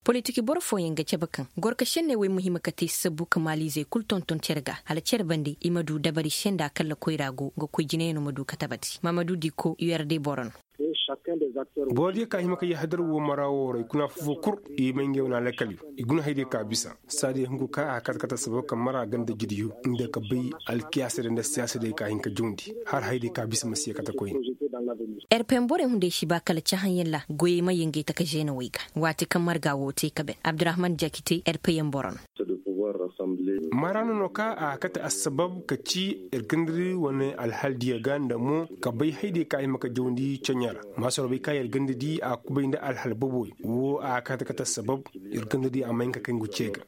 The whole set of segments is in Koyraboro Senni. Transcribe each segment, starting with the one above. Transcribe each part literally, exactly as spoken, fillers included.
Politik boro fooyaŋ ga cabe kaŋ gorka senney wey ma hima ka te sabbu ka maaliizey kul tonton cere ga hala cere bande i ma du dabari se nda kalla koyra go nga koy jinayano ma du ka tabati mamadu diko urde boro no. Borodiyo ka hima ka yahadar wo mara wo ra i kuna fofo kul i ma ngey wane alakali i guna haydiyo ka bisa saadiyo hungu ka a kate kate sabab ka mara ganda jidiyo nda ka bay alkiyaasa day nda siyaasa day ka hin ka jawndi har haydiyo ka bisa ma si ye kate koyne. Rpn borey hunday si ba kala cahãyaŋ ra goyey ma yangay taka zeenawey ga waati kaŋ marga wo te ka ben abdurahman jakite rpn boro no. Mara no no ka a kate assabab ka ci ir gandari wane alhaldiyo ga nda mo ka bay haydiyo ka hima ka jawndi caɲa ra maasoro bay ka ir gandadi a kubay nda alhal boboyo wo a kate kate assabab ir gandadi a ma hin ka kay ngu ce ga.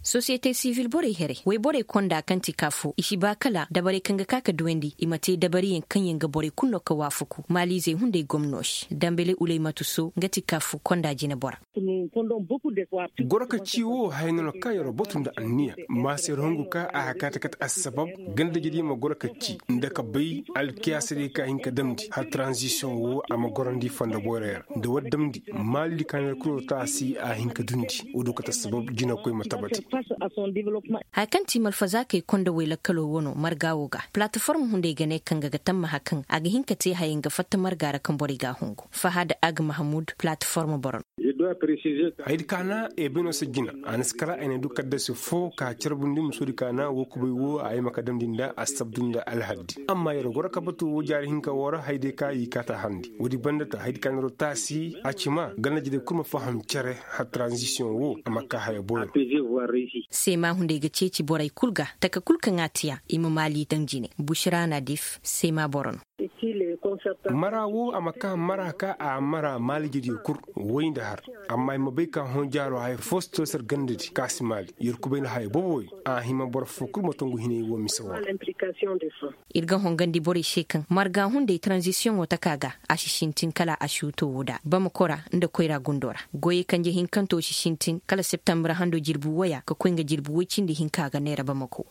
Sosiyete sivil borey here woyborey konda kaŋ ti ka fo i si ba kala dabarey kaŋ ga ka ka duwandi i ma te dabariyaŋ kaŋ yaŋ ga borey kulu no ka waafaku maaliizey hunday gomno se dambele ulaymatu so nga ti ka fo konda jinebora. Goro ka ci wo haya no no kaŋ yer batu nda anniya maasa yer hungu ka a hakaata kate assabab ganda jediyo ma goro ka ci nda ka bay alkiyaasadiyo ka hin ka damndi hala taranzisiyoŋ wo a ma gorandi fondo boyroyo ra nda war damndi maaliidi ka na yer kul wo taasi a hin ka dundi wo du kate assabab jinakoy ma tabati. Haya kaŋ ti malfazaakey konda way lakkalo wo no marga wo ga palataform hunday ga ne kaŋ ga ga tammaha kaŋ a ga hin ka te haya nga fatta marga ra kaŋ borey ga a hungu fahad ag mahamud palataform boro no. Haydi kaana ebeno si jina a na si kala ay na du kaddasi fo ka carbundi musoodi kaana wo kubay wo a yama ka damndi nda assabdu nda alhaddi amma yer goro ka batu wo jaari hinka wo ra hayday ka i kaata harndi woodi banda ta haydi kaana ro taasi a ci ma ganda jede kul ma faham cere hala taranzisiyoŋ wo a ma ka haya boyo. Seema hunday ga ceeci borey kul ga taka kul kaŋ a tiya i ma maali daŋ jine bushra nadif seema boro no. Mara wo a ma ka mara ka a mara maalijediyo kul way nda har amma i ma bay ka hõ jaaro haya fo si to sar gandadi ka si maali yer kubay nda haya boboyo a hima boro fo kul ma tongu hinay wo mise wo ra. Ir ga hongandi borey se kaŋ marga hunday taranzisiyoŋo taka ga a si sintin kala a si wuto wo da bamako ra nda koyra gundo ra goyey kanje hinkanto si sintin kala septambur hando jirbi woya ka koy nga jirbi woy cindi hinka ga neera bamako.